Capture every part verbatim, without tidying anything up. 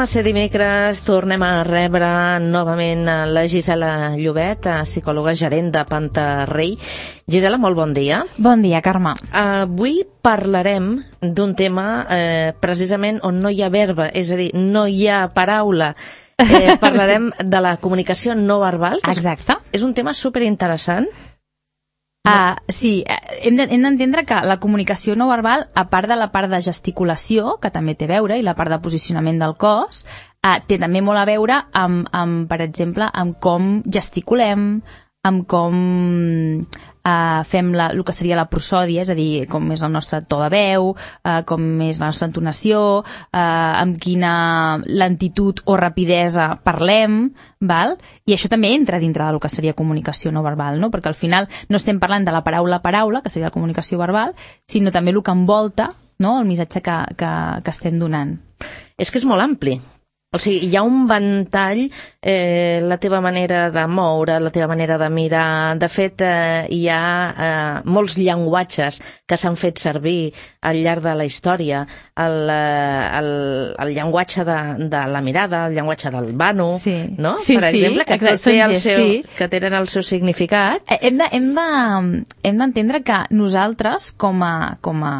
a ser dimecres, tornem a rebre novament la Gisela Llobet, psicòloga gerent de Pantarrey. Gisela, molt bon dia. Bon dia, Carme. Avui parlarem d'un tema eh, precisament on no hi ha verba, és a dir, no hi ha paraula. Eh, parlarem sí. de la comunicació no verbal. Exacte. És, és un tema superinteressant. Uh, sí, hem d'entendre que la comunicació no verbal, a part de la part de gesticulació, que també té a veure, i la part de posicionament del cos, uh, té també molt a veure amb, amb, per exemple, amb com gesticulem, amb com uh, fem la, el que seria la prosòdia, és a dir, com és el nostre to de veu, uh, com és la nostra entonació, uh, amb quina lentitud o rapidesa parlem, val? I això també entra dintre del que seria comunicació no verbal, no? Perquè al final no estem parlant de la paraula a paraula, que seria la comunicació verbal, sinó també el que envolta, no? El missatge que, que, que estem donant. És que és molt ampli. O sigui, hi ha un ventall, eh, la teva manera de moure, la teva manera de mirar. De fet, eh, hi ha eh, molts llenguatges que s'han fet servir al llarg de la història. El, el, el llenguatge de, de la mirada, el llenguatge del vano, sí. no? Sí, per exemple, sí, que, exacte, té el gest, seu, sí. que tenen el seu significat. Hem de, hem de, hem d'entendre que nosaltres, com a, com a,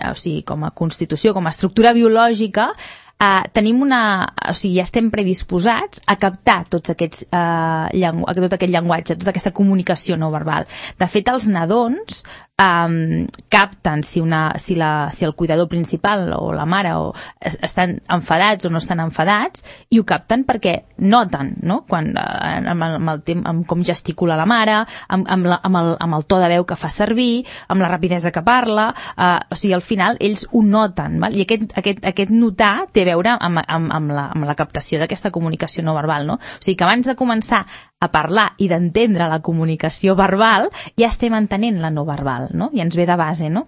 o sigui, com a constitució, com a estructura biològica, Uh, tenim una... O sigui, ja estem predisposats a captar tots aquests, uh, llengu tot aquest llenguatge, tota aquesta comunicació no verbal. De fet, els nadons um, capten si, una, si, la, si el cuidador principal o la mare o es, estan enfadats o no estan enfadats, i ho capten perquè noten, no? Quan, uh, amb, el, amb, el tem amb com gesticula la mare, amb, amb, la, amb, el, amb el to de veu que fa servir, amb la rapidesa que parla, uh, o sigui, al final ells ho noten, val? I aquest, aquest, aquest notar té a veure amb, amb, amb, la, amb la captació d'aquesta comunicació no verbal, no? O sigui que abans de començar a parlar i d'entendre la comunicació verbal, ja estem entenent la no verbal, no? I ens ve de base, no?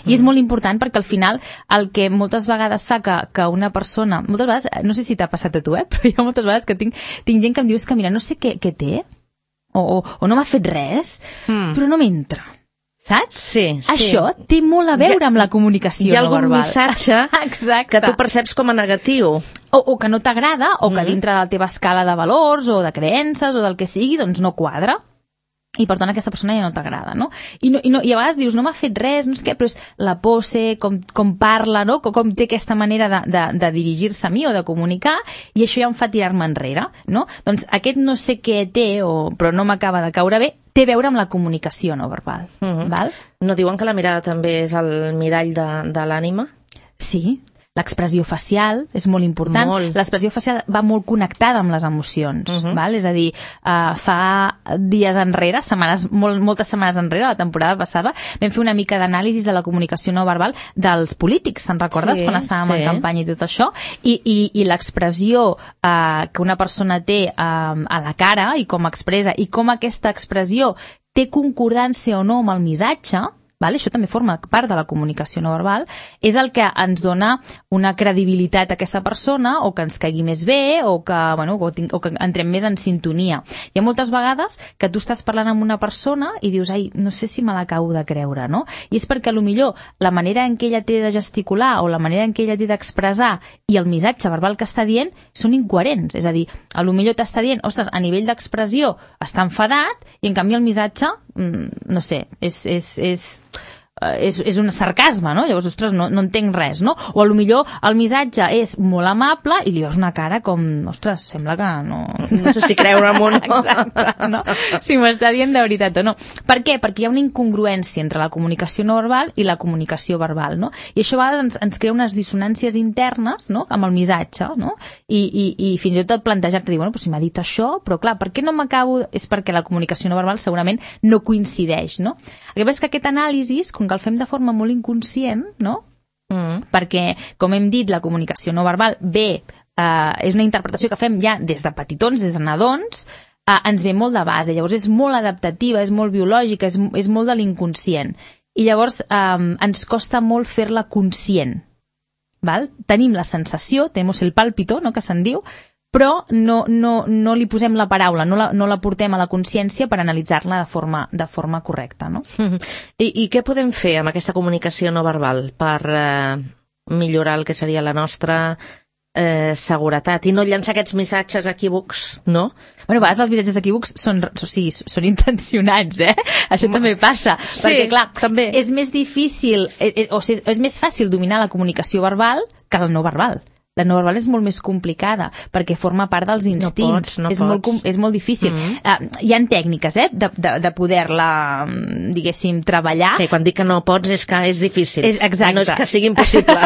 I és molt important perquè al final el que moltes vegades fa que, que una persona, moltes vegades, no sé si t'ha passat a tu, eh? Però hi ha moltes vegades que tinc, tinc gent que em diu que mira, no sé què, què té, o, o, o no m'ha fet res, mm. però no m'entra. Saps? Sí, sí. Això té molt a veure amb la comunicació no verbal. Hi ha algun missatge que tu perceps com a negatiu. O, o que no t'agrada, o que mm. dintre de la teva escala de valors, o de creences, o del que sigui, doncs no quadra. I per tant aquesta persona ja no t'agrada, no? I, no, i, no? I a vegades dius, no m'ha fet res, no sé què, però és la pose, com, com parla, no? Com, com té aquesta manera de, de, de dirigir-se a mi o de comunicar, i això ja em fa tirar-me enrere, no? Doncs aquest no sé què té, o, però no m'acaba de caure bé, té a veure amb la comunicació no verbal. Mm-hmm. Val? No diuen que la mirada també és el mirall de, de l'ànima? Sí. L'expressió facial és molt important. L'expressió facial va molt connectada amb les emocions. Uh-huh. Val? És a dir, uh, fa dies enrere, setmanes, molt, moltes setmanes enrere, la temporada passada, vam fer una mica d'anàlisi de la comunicació no verbal dels polítics, te'n recordes? Sí, quan estàvem sí. en campanya i tot això. I, i, i l'expressió uh, que una persona té uh, a la cara i com expressa, i com aquesta expressió té concordància o no amb el missatge, vale? Això també forma part de la comunicació no verbal, és el que ens dona una credibilitat a aquesta persona, o que ens caigui més bé, o que, bueno, o, o que entrem més en sintonia. Hi ha moltes vegades que tu estàs parlant amb una persona i dius, ai, no sé si me l'acabo de creure, no? I és perquè potser la manera en què ella té de gesticular o la manera en què ella té d'expressar i el missatge verbal que està dient són incoherents. És a dir, potser t'està dient, ostres, a nivell d'expressió està enfadat, i en canvi el missatge, no sé, és... és, és És, és un sarcasme, no? Llavors, ostres, no, no entenc res, no? O potser el missatge és molt amable i li veus una cara com, ostres, sembla que no... No sé si creure'm o no. Exacte, no? Si m'està dient de veritat o no. Per què? Perquè hi ha una incongruència entre la comunicació no verbal i la comunicació verbal, no? I això a vegades ens, ens crea unes dissonàncies internes, no?, amb el missatge, no? I, i, i fins i tot plantejar-te, dir, bueno, però si m'ha dit això, però clar, per què no m'acabo... És perquè la comunicació no verbal segurament no coincideix, no? El que passa és que aquest anàlisi, com que el fem de forma molt inconscient, no? Mm. Perquè, com hem dit, la comunicació no verbal ve, eh, és una interpretació que fem ja des de petitons, des de nadons, eh, ens ve molt de base, llavors és molt adaptativa, és molt biològica, és, és molt de l'inconscient. I llavors eh, ens costa molt fer-la conscient. Val? Tenim la sensació, tenemos el pálpito, no?, que se'n diu, però no, no, no li posem la paraula, no la, no la portem a la consciència per analitzar-la de forma, de forma correcta, no? I, I què podem fer amb aquesta comunicació no verbal per eh, millorar el que seria la nostra eh, seguretat i no llançar aquests missatges equívocs, no? Bueno, a vegades els missatges equívocs són, o sigui, són intencionats, eh? Això mm. també passa. Sí, perquè, clar, també. És més difícil, eh, o sigui, és més fàcil dominar la comunicació verbal que la no verbal. La no verbal és molt més complicada, perquè forma part dels instints. No pots, no és, pots. Molt, és molt difícil. Mm-hmm. Uh, hi ha tècniques, eh, de, de, de poder-la, diguéssim, treballar. Sí, quan dic que no pots és que és difícil. És, exacte. No és que sigui impossible.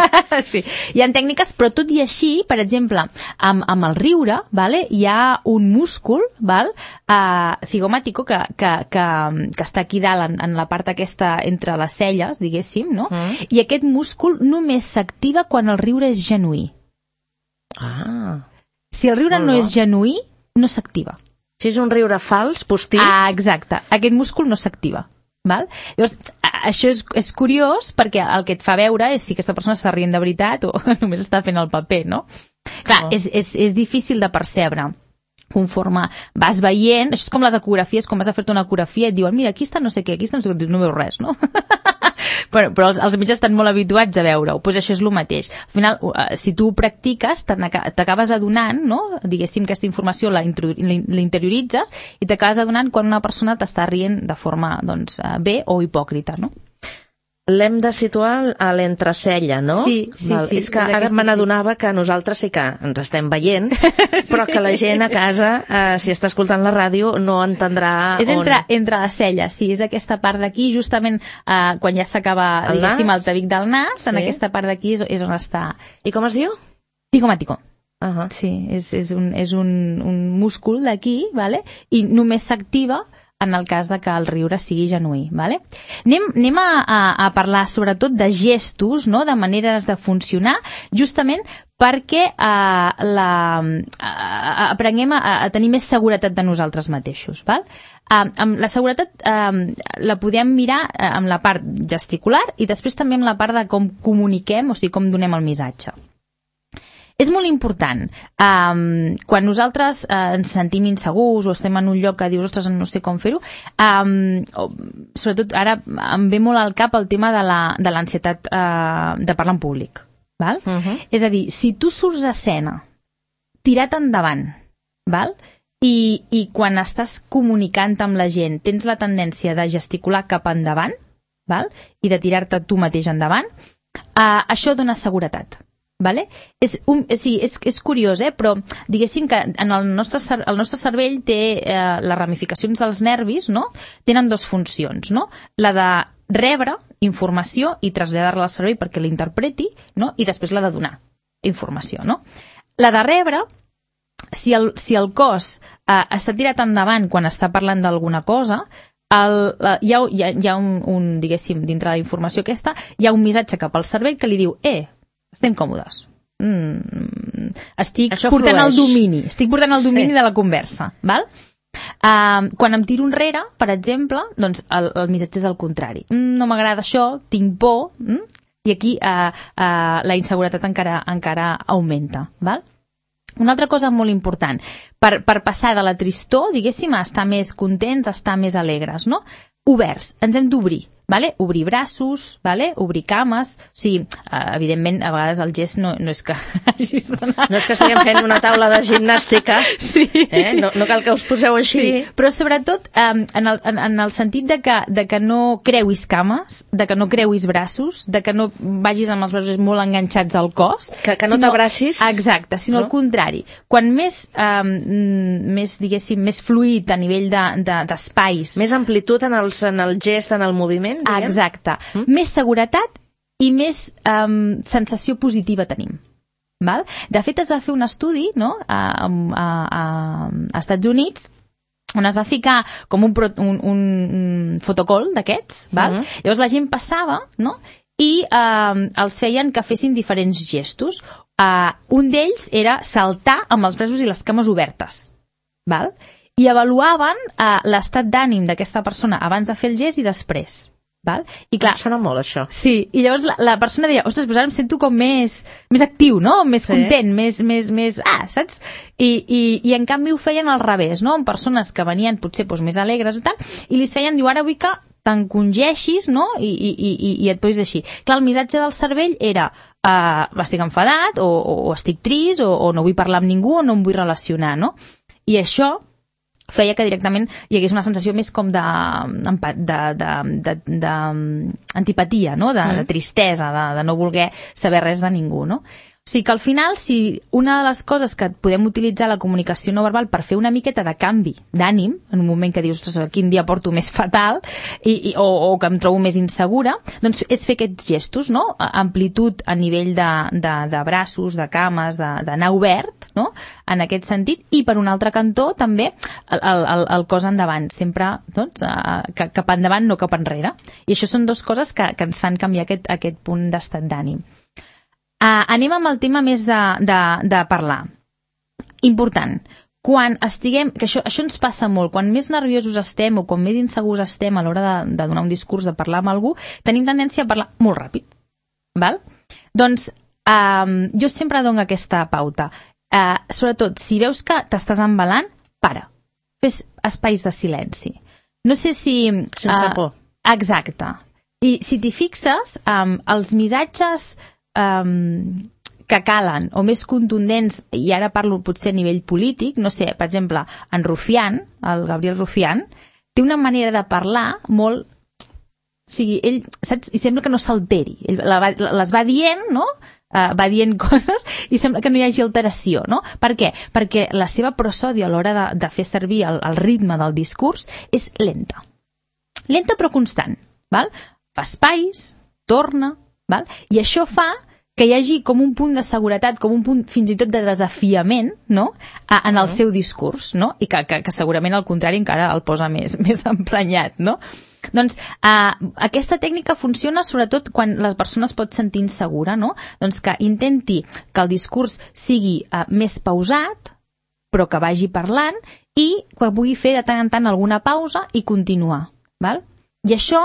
Sí, hi ha tècniques, però tot i així, per exemple, amb, amb el riure, vale, hi ha un múscul, val, uh, zigomàtico, que, que, que, que està aquí dalt, en, en la part aquesta entre les celles, diguéssim, no? Mm. I aquest múscul només s'activa quan el riure és genuí. Ah. Si el riure no és genuí, no s'activa. Si és un riure fals, postís... Ah, exacte. Aquest múscul no s'activa. Val? Llavors, això és, és curiós perquè el que et fa veure és si aquesta persona està rient de veritat o només està fent el paper, no? Clar, oh. és, és, és difícil de percebre. Conforme vas veient, això és com les ecografies, quan vas a fer-te una ecografia i et diuen, mira, aquí està no sé què, aquí està no sé què, no veus res, no? però, però els, els metges estan molt habituats a veure-ho, doncs això és el mateix. Al final, si tu ho practiques, t'acabes adonant, no? Diguéssim, aquesta informació la, la interioritzes i t'acabes adonant quan una persona t'està rient de forma, doncs, bé o hipòcrita, no? L'hem de situar a l'entrecella, no? Sí, sí, Val. sí. És que ara me n'adonava que nosaltres sí que ens estem veient, però que la gent a casa, eh, si està escoltant la ràdio, no entendrà és on... entre, entre les celles, sí, és aquesta part d'aquí, justament eh, quan ja s'acaba, diguéssim, el tabic del nas, sí. En aquesta part d'aquí és, és on està... I com es diu? Zigomàtico. Uh -huh. Sí, és, és, un, és un, un múscul d'aquí, vale? I només s'activa en el cas de que el riure sigui genuí. Vale? Anem, anem a, a, a parlar sobretot de gestos, no? De maneres de funcionar, justament perquè eh, la, eh, aprenguem a, a tenir més seguretat de nosaltres mateixos. Val? Eh, amb la seguretat eh, la podem mirar eh, amb la part gesticular i després també amb la part de com comuniquem, o sigui, com donem el missatge. És molt important. Um, quan nosaltres uh, ens sentim insegurs o estem en un lloc que dius, ostres, no sé com fer-ho, um, sobretot ara em ve molt al cap el tema de l'ansietat uh, de parlar en públic. Val? Uh-huh. És a dir, si tu surts a escena tirat endavant, val? I, i quan estàs comunicant amb la gent tens la tendència de gesticular cap endavant, val? I de tirar-te tu mateix endavant, uh, això dona seguretat. Vale? És, un, sí, és, és curiós, eh? Però diguéssim que en el nostre, el nostre cervell té eh, les ramificacions dels nervis, no? Tenen dues funcions, no? La de rebre informació i traslladar-la al cervell perquè l'interpreti, no? I després la de donar informació, no? La de rebre, si el, si el cos eh, està tirat endavant quan està parlant d'alguna cosa, el, la, hi ha, hi ha, hi ha un, un, diguéssim, dintre de la informació aquesta, hi ha un missatge cap al cervell que li diu, eh, estem còmodes. Mm, estic Això portant flueix. el domini. Estic portant el domini sí. de la conversa. Val? Uh, quan em tiro enrere, per exemple, doncs el, el missatge és el contrari. Mm, no m'agrada això, tinc por, mm? I aquí uh, uh, la inseguretat encara, encara augmenta. Val? Una altra cosa molt important, per, per passar de la tristor, diguéssim, a estar més contents, a estar més alegres, no? Oberts, ens hem d'obrir. Vale? Obrir braços, vale? Obrir cames, o sigui, evidentment a vegades el gest no, no és que hagis d'anar... No és que estiguem fent una taula de gimnàstica, sí. eh? no, no cal que us poseu així. Sí, però sobretot um, en, el, en, en el sentit de que, de que no creuis cames, de que no creuis braços, de que no vagis amb els braços molt enganxats al cos. Que, que no sinó, t'abracis. Exacte, sinó no? Al contrari. Quan més, um, més, diguéssim, més fluid a nivell d'espais... De, de, més amplitud en el, en el gest, en el moviment, diguem? Exacte. Mm? Més seguretat i més um, sensació positiva tenim. Val? De fet, es va fer un estudi, no? a, a, a, a Estats Units on es va ficar com un, un, un fotocol d'aquests, val? Mm-hmm. Llavors la gent passava, no? I eh, els feien que fessin diferents gestos. Uh, un d'ells era saltar amb els braços i les cames obertes, val? I avaluaven uh, l'estat d'ànim d'aquesta persona abans de fer el gest i després. Val? I clar, em sona molt això. Sí, i llavors la, la persona deia, ostres, però ara em sento com més, més actiu, no? Més sí. content, més, més, més... Ah, saps? I, i, i en canvi ho feien al revés, no? Amb persones que venien potser doncs, més alegres i tal, i li feien, diu, ara vull que t'encongeixis, no? I, i, i, i et posis així. Clar, el missatge del cervell era uh, estic enfadat, o, o, o estic trist, o, o no vull parlar amb ningú, o no em vull relacionar, no? I això feia que directament hi hagués una sensació més com de, de, de, de, de antipatia, no? de, de tristesa, de, de no voler saber res de ningú, no? O sigui que al final, si una de les coses que podem utilitzar la comunicació no verbal per fer una miqueta de canvi d'ànim, en un moment que dius, quin dia porto més fatal, i, i, o, o que em trobo més insegura, doncs és fer aquests gestos, no? Amplitud a nivell de, de, de braços, de cames, d'anar obert, no? En aquest sentit, i per un altre cantó també el, el, el cos endavant, sempre doncs, cap endavant, no cap enrere. I això són dues coses que, que ens fan canviar aquest, aquest punt d'estat d'ànim. Uh, anem amb el tema més de, de, de parlar. Important. Quan estiguem, que això, això ens passa molt, quan més nerviosos estem o quan més insegurs estem a l'hora de, de donar un discurs, de parlar amb algú, tenim tendència a parlar molt ràpid. Val? Doncs um, jo sempre dono aquesta pauta. Uh, sobretot, si veus que t'estàs embalant, para. Fes espais de silenci. No sé si... Sense uh, por. Exacte. I si t'hi fixes, um, els missatges... Um, que calen o més contundents, i ara parlo potser a nivell polític, no sé, per exemple, en Rufián, el Gabriel Rufián, té una manera de parlar molt... O sigui, ell, saps? I sembla que no s'alteri. Ell les va dient, no? Uh, va dient coses i sembla que no hi hagi alteració, no? Per què? Perquè la seva prosòdia a l'hora de, de fer servir el, el ritme del discurs és lenta. Lenta però constant, val? Fa espais, torna... Val? I això fa que hi hagi com un punt de seguretat, com un punt fins i tot de desafiament, no? A, en el seu discurs, no? I que, que, que segurament al contrari encara el posa més, més emprenyat, no? Doncs uh, aquesta tècnica funciona sobretot quan la persona es pot sentir insegura, no? Doncs que intenti que el discurs sigui uh, més pausat, però que vagi parlant i que pugui fer de tant en tant alguna pausa i continuar, val? I això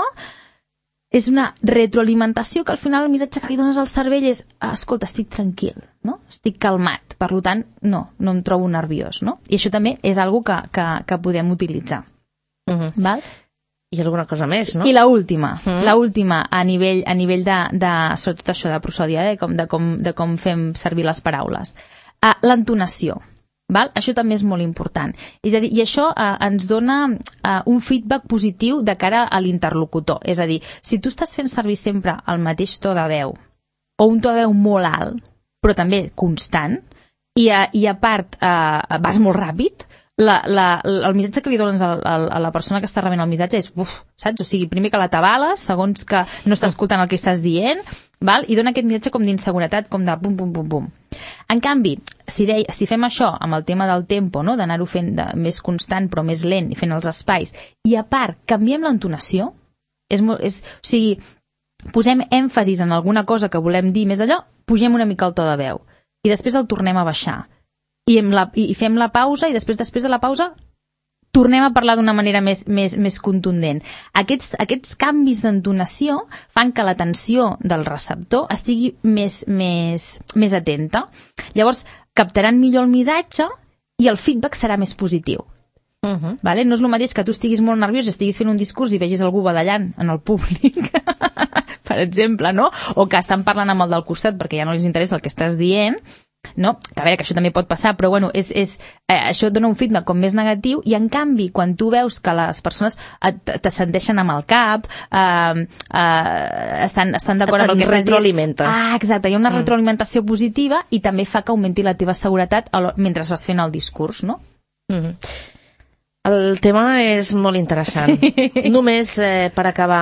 és una retroalimentació que al final el missatge que li dones al cervell és escolta, estic tranquil, no? Estic calmat, per tant, no, no em trobo nerviós, no? I això també és algo que, que, que podem utilitzar. Uh-huh. Val? I alguna cosa més, no? I l'última, uh-huh. l'última a nivell, a nivell de, de, sobretot això de prosòdia, eh? com, de, com, de com fem servir les paraules. Uh, l'entonació. Val? Això també és molt important. És a dir, i això eh, ens dona eh, un feedback positiu de cara a l'interlocutor. És a dir, si tu estàs fent servir sempre el mateix to de veu, o un to de veu molt alt, però també constant, i a, i a part eh, vas molt ràpid, la, la, el missatge que li dones a, a, a la persona que està rebent el missatge és, uf, saps? O sigui, primer que la tabales, segons que no està escoltant el que estàs dient, val? I dona aquest missatge com d'inseguretat, com de pum, pum, pum, pum. En canvi, si, de, si fem això amb el tema del tempo, no? D'anar-ho fent de, més constant però més lent i fent els espais, i a part canviem l'entonació, és, és, o sigui, posem èmfasis en alguna cosa que volem dir més allò, pugem una mica el to de veu i després el tornem a baixar i, la, i fem la pausa i després després de la pausa tornem a parlar d'una manera més, més, més contundent. Aquests, aquests canvis d'entonació fan que l'atenció del receptor estigui més, més, més atenta. Llavors, captaran millor el missatge i el feedback serà més positiu. Uh-huh. Vale? No és el mateix que tu estiguis molt nerviós i estiguis fent un discurs i vegis algú badallant en el públic, per exemple, no? O que estan parlant amb el del costat perquè ja no els interessa el que estàs dient, no? Que a veure, que això també pot passar, però bueno, és, és, eh, això et dona un feedback com més negatiu i en canvi, quan tu veus que les persones t'assenteixen amb el cap, eh, eh, estan, estan d'acord amb el que estàs dient. Retroalimenta. Ah, exacte, hi ha una mm. retroalimentació positiva i també fa que augmenti la teva seguretat mentre vas fent el discurs, no? Mm. El tema és molt interessant. Sí. Només eh, per acabar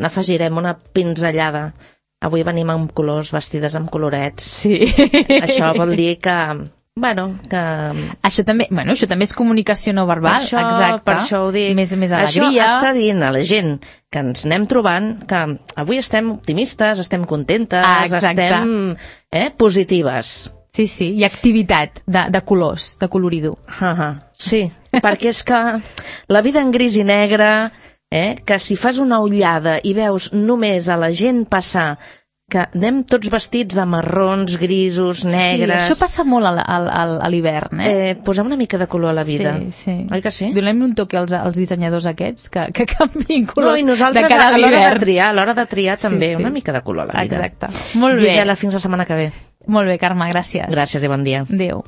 afegirem una pinzellada. Avui venim amb colors, vestides amb colorets. Sí. Això vol dir que... Bueno, que... Això també, bueno, això també és comunicació no verbal. Per això, exacte. Per això ho dic. Més, més alegria. Això està dient a la gent que ens anem trobant que avui estem optimistes, estem contentes, ah, estem eh, positives. Sí, sí, i activitat de, de colors, de coloridor. Uh -huh. Sí, perquè és que la vida en gris i negre, eh, que si fas una ullada i veus només a la gent passar que anem tots vestits de marrons, grisos, negres... Sí, això passa molt a, a, a l'hivern, eh? eh? Posem una mica de color a la vida. Sí, sí. Oi que sí? Donem un toque als, als dissenyadors aquests, que, que canviïn colors no, i nosaltres, de cara a l'hivern. A l'hora de triar, a l'hora de triar també, sí, sí. una mica de color a la vida. Exacte. Molt bé. Gisela, fins la setmana que ve. Molt bé, Carme, gràcies. Gràcies i bon dia. Adéu.